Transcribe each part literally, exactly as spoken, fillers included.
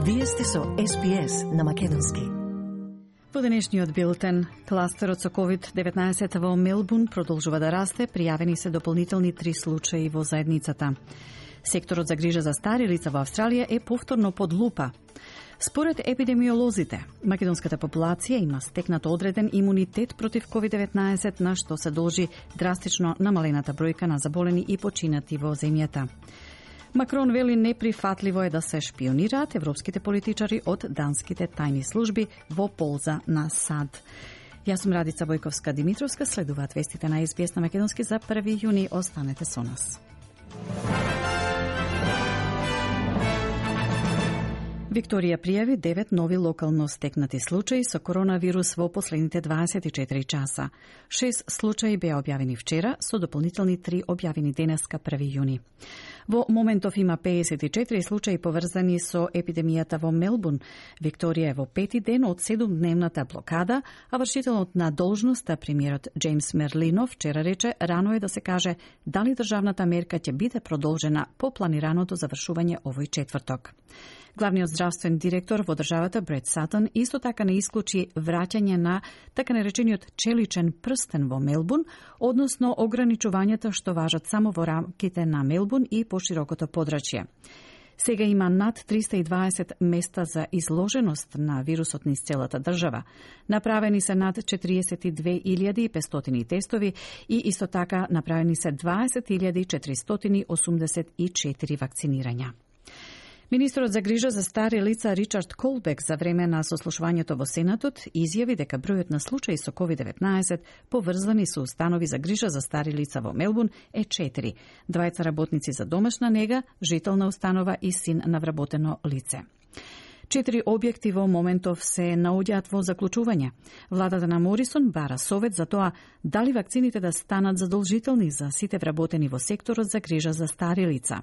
Вие сте со Ес Би Ес на македонски. Во денешниот билтен, кластерот со ковид деветнаесет во Мелбурн продолжува да расте, пријавени се дополнителни три случаи во заедницата. Секторот за грижа за стари лица во Австралија е повторно под лупа. Според епидемиолозите, македонската популација има стекнат одреден имунитет против ковид деветнаесет, на што се должи драстично намалената бројка на заболени и починати во земјата. Макрон вели неприфатливо е да се шпионираат европските политичари од данските тајни служби во полза на САД. Јас сум Радица Бојковска-Димитровска, следуваат вестите на Ес Би Ес на македонски за први јуни. Останете со нас. Викторија пријави девет нови локално стекнати случаи со коронавирус во последните дваесет и четири часа. Шест случаи беа објавени вчера, со дополнителни три објавени денеска први јуни. Во моментов има пеесет и четири случаи поврзани со епидемијата во Мелбурн. Викторија е во пети ден од седумдневната блокада, а вршителот на должноста премиерот Джеймс Мерлино вчера рече рано е да се каже дали државната мерка ќе биде продолжена по планираното завршување овој четврток. Главниот здравствен директор во државата Брет Сатон исто така не исклучи враќање на така наречениот челичен прстен во Мелбурн, односно ограничувањата што важат само во рамките на Мелбурн и поширокото подрачје. Сега има над триста и дваесет места за изложеност на вирусот низ целата држава. Направени се над четириесет и две илјади и петстотини тестови и исто така направени се дваесет илјади четиристотини осумдесет и четири вакцинирања. Министерот за грижа за стари лица Ричард Колбек за време на сослушувањето во Сенатот изјави дека бројот на случаи со ковид деветнаесет поврзани со установи за грижа за стари лица во Мелбурн е четири. Двајца работници за домашна нега, жител на установа и син на вработено лице. Четири објекти во моментов се наоѓаат во заклучување. Владата на Морисон бара совет за тоа дали вакцините да станат задолжителни за сите вработени во секторот за грижа за стари лица.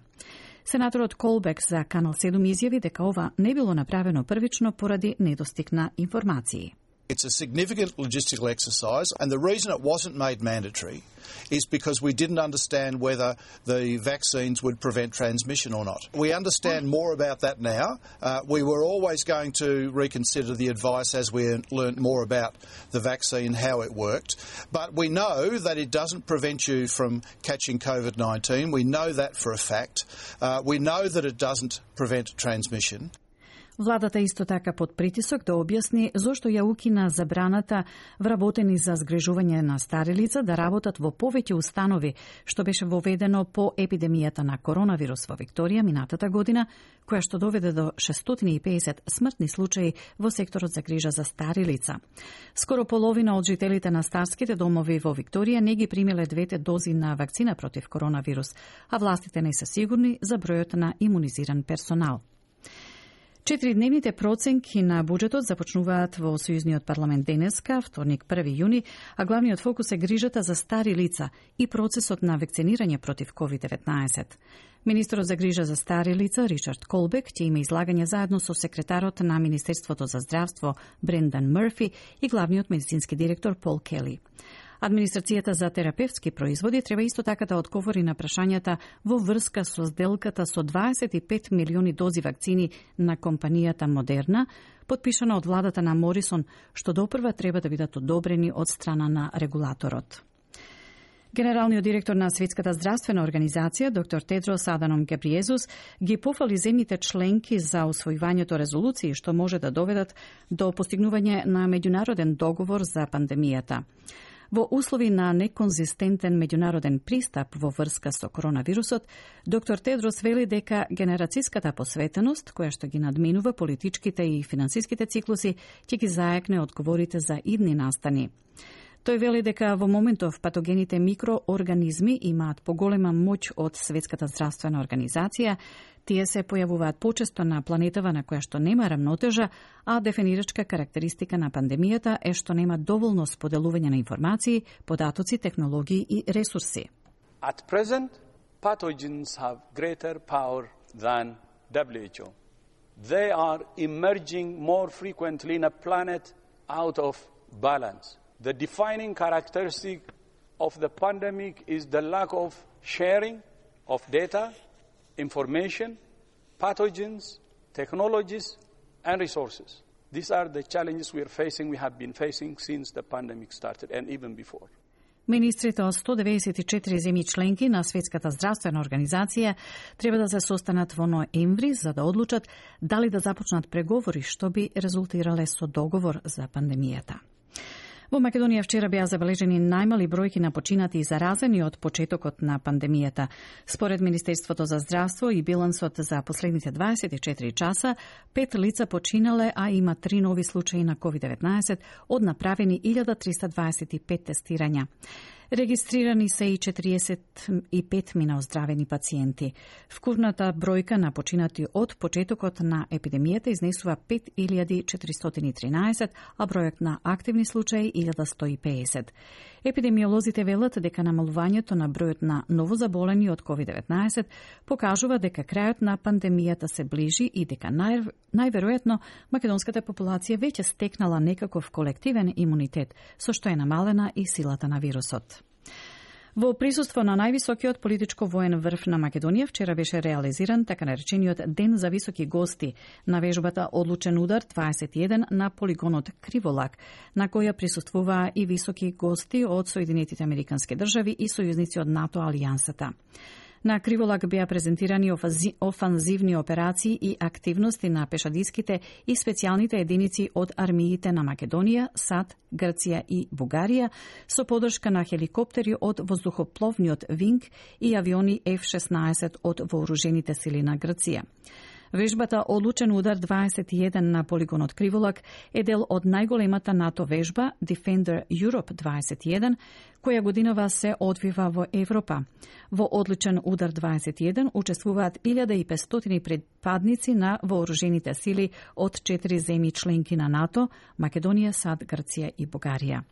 Сенаторот Колбек за Канал седум изјави дека ова не било направено првично поради недостиг на информации. It's a significant logistical exercise, and the reason it wasn't made mandatory is because we didn't understand whether the vaccines would prevent transmission or not. We understand more about that now. Uh, we were always going to reconsider the advice as we learnt more about the vaccine, how it worked. But we know that it doesn't prevent you from catching COVID nineteen. We know that for a fact. Uh, we know that it doesn't prevent transmission. Владата исто така под притисок да објасни зошто ја укина забраната вработени за згрижување на стари лица да работат во повеќе установи, што беше воведено по епидемијата на коронавирус во Викторија минатата година, која што доведе до шестстотини и педесет смртни случаи во секторот за грижа за стари лица. Скоро половина од жителите на старските домови во Викторија не ги примиле двете дози на вакцина против коронавирус, а властите не се сигурни за бројот на имунизиран персонал. Четиридневните проценки на буџетот започнуваат во Сојузниот парламент денеска, вторник први јуни, а главниот фокус е грижата за стари лица и процесот на вакцинирање против ковид деветнаесет. Министерот за грижа за стари лица Ричард Колбек ќе има излагање заедно со секретарот на Министерството за здравство Брендан Мърфи и главниот медицински директор Пол Кели. Администрацијата за терапевтски производи треба исто така да одговори на прашањата во врска со сделката со дваесет и пет милиони дози вакцини на компанијата Модерна, подпишана од владата на Морисон, што допрва треба да бидат одобрени од страна на регулаторот. Генералниот директор на Светската здравствена организација, доктор Тедрос Аданом Гебриезус, ги пофали земјите членки за усвојувањето резолуции што може да доведат до постигнување на меѓународен договор за пандемијата. Во услови на неконзистентен меѓународен пристап во врска со коронавирусот, доктор Тедрос вели дека генерацијската посветеност, која што ги надминува политичките и финансиските циклуси, ќе ги заекне одговорите за идни настани. Тој вели дека во моментов патогените микроорганизми имаат поголема моќ од Светската здравствена организација. Тие се појавуваат почесто на планетава на која што нема рамнотежа, а дефинирачка карактеристика на пандемијата е што нема доволно споделување на информации, податоци, технологии и ресурси. At present, pathogens have greater power than W H O. They are emerging more frequently in a planet out of balance. The defining characteristic of the pandemic is the lack of sharing of data, information, pathogens, technologies, and resources. These are the challenges we are facing, we have been facing since the pandemic started and even before. Министрите од сто деведесет и четири земји членки на Светската здравствена организација треба да се состанат во ноември за да одлучат дали да започнат преговори што би резултирале со договор за пандемијата. Во Македонија вчера беа забележени најмали бројки на починати и заразени од почетокот на пандемијата. Според Министерството за здравство и билансот за последните дваесет и четири часа, пет лица починале, а има три нови случаи на ковид деветнаесет од направени илјада триста дваесет и пет тестирања. Регистрирани се и четириесет и пет мина оздравени пациенти. Вкупната бројка на починати од почетокот на епидемијата изнесува пет илјади четиристотини и тринаесет, а бројот на активни случаи илјада сто и педесет. Епидемиолозите велат дека намалувањето на бројот на новозаболени од ковид деветнаесет покажува дека крајот на пандемијата се ближи и дека нај, најверојатно македонската популација веќе стекнала некаков колективен имунитет, со што е намалена и силата на вирусот. Во присуство на највисокиот политичко-воен врв на Македонија вчера беше реализиран така наречениот Ден за високи гости на вежбата Одлучен удар дваесет и еден на полигонот Криволак, на која присуствуваа и високи гости од Соединетите Американски држави и сојузници од НАТО алијансата. На Криволак беа презентирани офанзивни операции и активности на пешадиските и специјалните единици од армиите на Македонија, САД, Грција и Бугарија, со подршка на хеликоптери од воздухопловниот Винг и авиони Еф шеснаесет од вооружените сили на Грција. Вежбата Одлучен удар дваесет и еден на полигонот Криволак е дел од најголемата НАТО вежба Defender Europe дваесет и еден, која годинава се одвива во Европа. Во Одлучен удар дваесет и еден учествуваат илјада и петстотини припадници на вооружените сили од четири земји членки на НАТО, Македонија, САД, Грција и Бугарија.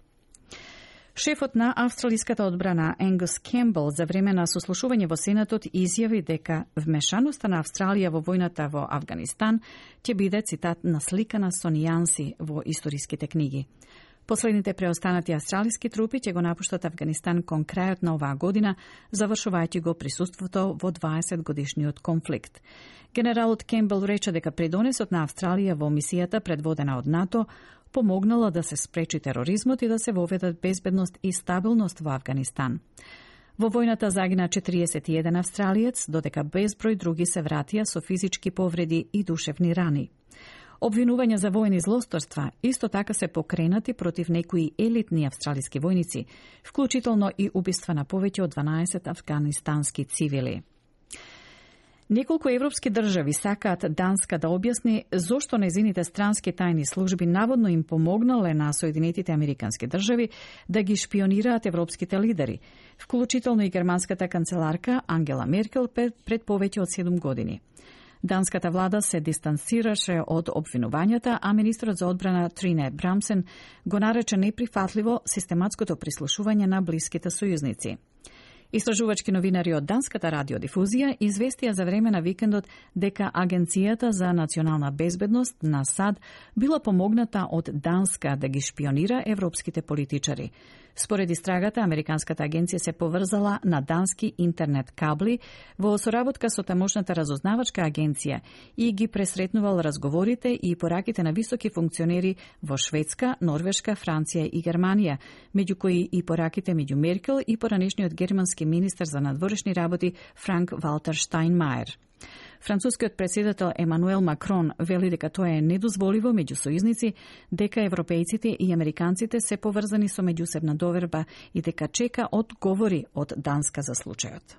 Шефот на австралиската одбрана Енгус Кембл за време на сослушување во Сенатот изјави дека вмешаноста на Австралија во војната во Авганистан ќе биде, цитат, насликана со нијанси во историските книги. Последните преостанати австралиски трупи ќе го напуштат Авганистан кон крајот на оваа година, завршувајќи го присуството во дваесет годишниот конфликт. Генералот Кембл рече дека придонесот на Австралија во мисијата предводена од НАТО помогнала да се спречи тероризмот и да се воведат безбедност и стабилност во Авганистан. Во војната загина четириесет и еден австралиец, додека безброј други се вратија со физички повреди и душевни рани. Обвинувања за војни злосторства исто така се покренати против некои елитни австралиски војници, вклучително и убиства на повеќе од дванаесет афганистански цивили. Неколку европски држави сакаат Данска да објасни зошто незините странски тајни служби наводно им помогнале на Соединетите Американски држави да ги шпионираат европските лидери, вклучително и германската канцеларка Ангела Меркел пред повеќе од седум години. Данската влада се дистансираше од обвинувањата, а министрот за одбрана Трине Брамсен го нарече неприфатливо систематското прислушување на блиските сојузници. Истражувачки новинари од Данската радиодифузија известија за време на викендот дека Агенцијата за национална безбедност на САД била помогната од Данска да ги шпионира европските политичари. Според истрагата, Американската агенција се поврзала на дански интернет кабли во соработка со тамошната разузнавачка агенција и ги пресретнувал разговорите и пораките на високи функционери во Шведска, Норвешка, Франција и Германија, меѓу кои и пораките меѓу Меркел и поранешниот германски министер за надворешни работи Франк Валтер Штајнмајер. Францускиот председател Емануел Макрон вели дека тоа е недозволиво меѓу сојузници, дека европејците и американците се поврзани со меѓусебна доверба и дека чека одговори од Данска за случајот.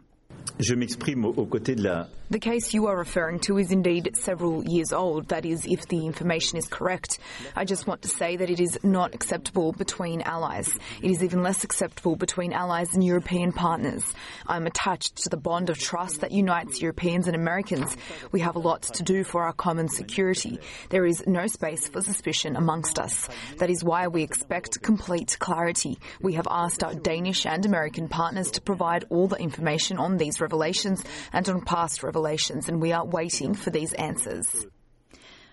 Je m'exprime aux côtés de la... The case you are referring to is indeed several years old. That is, if the information is correct. I just want to say that it is not acceptable between allies. It is even less acceptable between allies and European partners. I'm attached to the bond of trust that unites Europeans and Americans. We have a lot to do for our common security. There is no space for suspicion amongst us. That is why we expect complete clarity. We have asked our Danish and American partners to provide all the information on these revelations and on past revelations, and we are waiting for these answers.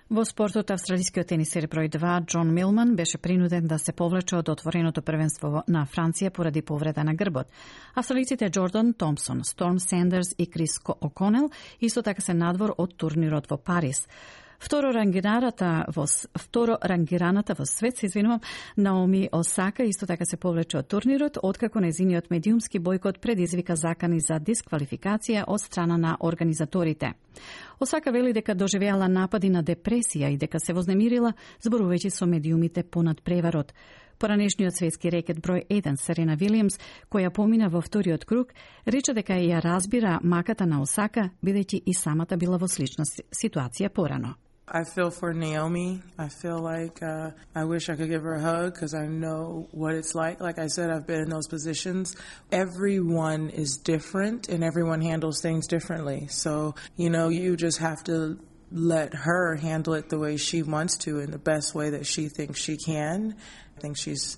Во спортот, австралискиот тенисер број два Џон Милман беше принуден да се повлече од отвореното првенство на Франција поради повреда на грбот. Австралиците Џордан Томпсон, Сторм Сендерс и Крис О'Конел исто така се надвор од турнирот во Париз. Второ рангираната во второ рангираната во свет, се извинувам, Наоми Осака исто така се повлече од турнирот, откако нејзиниот медиумски бојкот предизвика закани за дисквалификација од страна на организаторите. Осака вели дека доживеала напади на депресија и дека се вознемирила зборувајќи со медиумите понад преварот. Поранешниот светски рекет број еден Серена Вилијамс, која помина во вториот круг, рече дека ја разбира маката на Осака, бидејќи и самата била во слична ситуација порано. I feel for Naomi. I feel like uh, I wish I could give her a hug because I know what it's like. Like I said, I've been in those positions. Everyone is different and everyone handles things differently. So, you know, you just have to let her handle it the way she wants to in the best way that she thinks she can. I think she's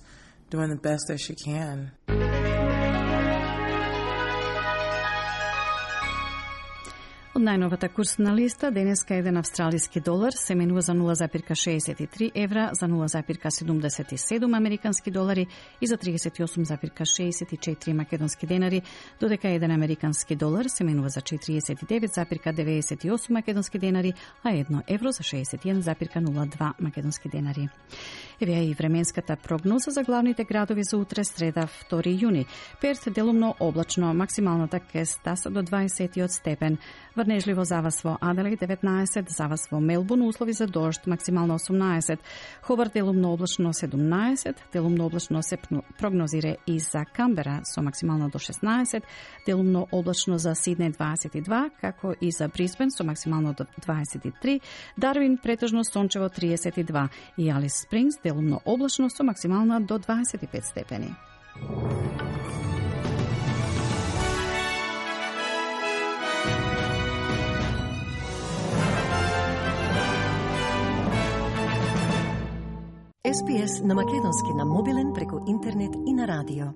doing the best that she can. Од најновата курсна листа, денеска еден австралиски долар се менува за нула запирка шеесет и три евра, за нула запирка седумдесет и седум американски долари и за тридесет и осум запирка шеесет и четири македонски денари, додека еден американски долар се менува за четириесет и девет запирка деветдесет и осум македонски денари, а едно евро за шеесет и еден запирка нула два македонски денари. Еве и временската прогноза за главните градови за утре, среда, втори јуни. Перт делумно облачно, максималната ке стаса до дваесет степен. Врнежливо завас во Аделаид деветнаесет, завас во Мелбурн, услови за дожд, максимално осумнаесет. Хобарт делумно облачно седумнаесет, делумно облачно се прогнозира и за Камбера со максимално до шеснаесет, делумно облачно за Сиднеј дваесет и два, како и за Брисбен со максимално до дваесет и три, Дарвин претежно сончево триесет и два и Алис Спрингс делумно облачно со максимална до дваесет и пет степени. Ес Би Ес на македонски на мобилен преку интернет и на радио.